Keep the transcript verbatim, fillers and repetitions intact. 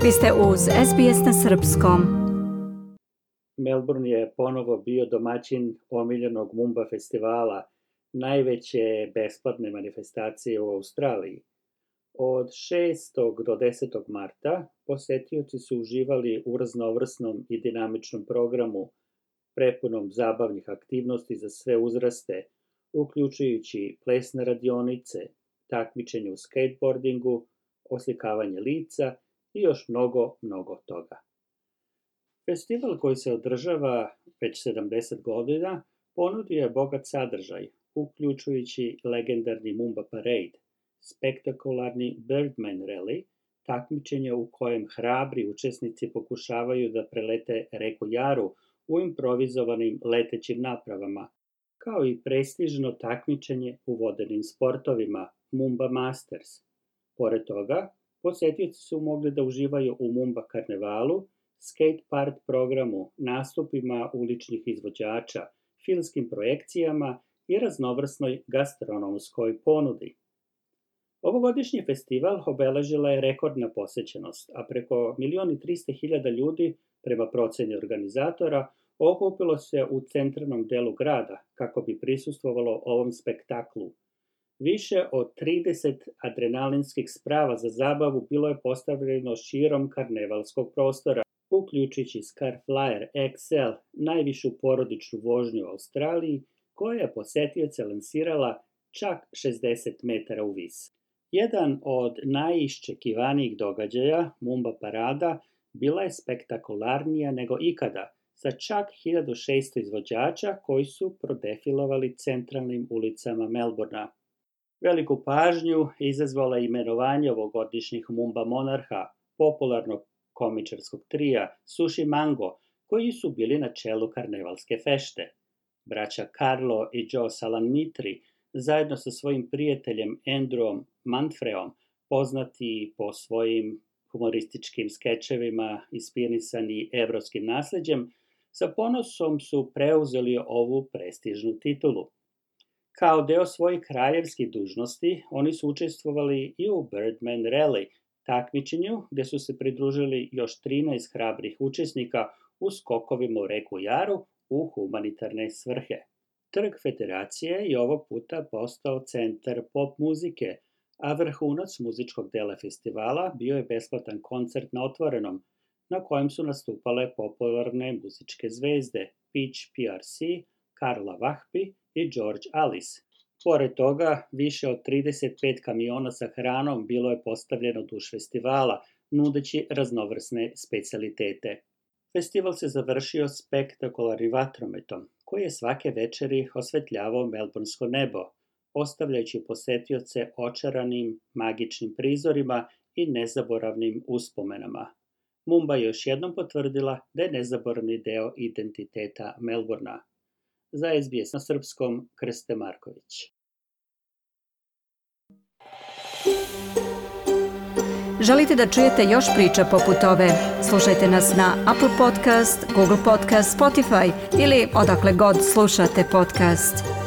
Vi ste uz S B S na srpskom. Melbourne je ponovo bio domaćin omiljenog Mumba festivala, najveće besplatne manifestacije u Australiji. Od šestog do desetog marta posetioci su uživali u raznovrsnom i dinamičnom programu, prepunom zabavnih aktivnosti za sve uzraste, uključujući plesne radionice, takmičenje u skateboardingu, oslikavanje lica i još mnogo, mnogo toga. Festival koji se održava već sedamdeset godina ponudio je bogat sadržaj, uključujući legendarni Mumba Parade, spektakularni Birdman Rally, takmičenje u kojem hrabri učesnici pokušavaju da prelete reku Jaru u improvizovanim letećim napravama, kao i prestižno takmičenje u vodenim sportovima Mumba Masters. Pored toga, posetioci su mogli da uživaju u Mumba karnevalu, skate park programu, nastupima uličnih izvođača, filmskim projekcijama i raznovrsnoj gastronomskoj ponudi. Ovogodišnji festival obeležila je rekordna posećenost, a preko milion i trista hiljada ljudi, prema proceni organizatora, okupilo se u centralnom delu grada kako bi prisustvovalo ovom spektaklu. Više od trideset adrenalinskih sprava za zabavu bilo je postavljeno širom karnevalskog prostora, uključujući Scarflyer X L, najvišu porodičnu vožnju u Australiji, koja je posetioce lansirala čak šezdeset metara u vis. Jedan od najiščekivanijih događaja, Mumba parada, bila je spektakularnija nego ikada, sa čak hiljadu šesto izvođača koji su prodefilovali centralnim ulicama Melbournea. Veliku pažnju izazvala je imenovanje ovogodišnjih Mumba monarha, popularnog komičarskog trija Sushi Mango, koji su bili na čelu karnevalske fešte. Braća Carlo i Joe Salanitri, zajedno sa svojim prijateljem Andrewom Manfreom, poznati po svojim humorističkim skečevima inspirisani evropskim nasleđem, sa ponosom su preuzeli ovu prestižnu titulu. Kao deo svojih kraljevskih dužnosti, oni su učestvovali i u Birdman Rally, takmičenju gde su se pridružili još trinaest hrabrih učesnika u skokovima u reku Jaru u humanitarne svrhe. Trg Federacije je ovog puta postao centar pop muzike, a vrhunac muzičkog dela festivala bio je besplatan koncert na otvorenom, na kojem su nastupale popularne muzičke zvezde Peach P R C, Carla Vahpi i George Alice. Pored toga, više od trideset pet kamiona sa hranom bilo je postavljeno duž festivala, nudeći raznovrsne specijalitete. Festival se završio spektakularnim vatrometom, koji je svake večeri osvetljavao melbournsko nebo, ostavljajući posetioce očaranim magičnim prizorima i nezaboravnim uspomenama. Mumba je još jednom potvrdila da je nezaboravni deo identiteta Melbournea. Za S B S na srpskom, Krste Marković. Želite da čujete još priča poput ove? Slušajte nas na Apple Podcast, Google Podcast, Spotify ili odakle god slušate podcast.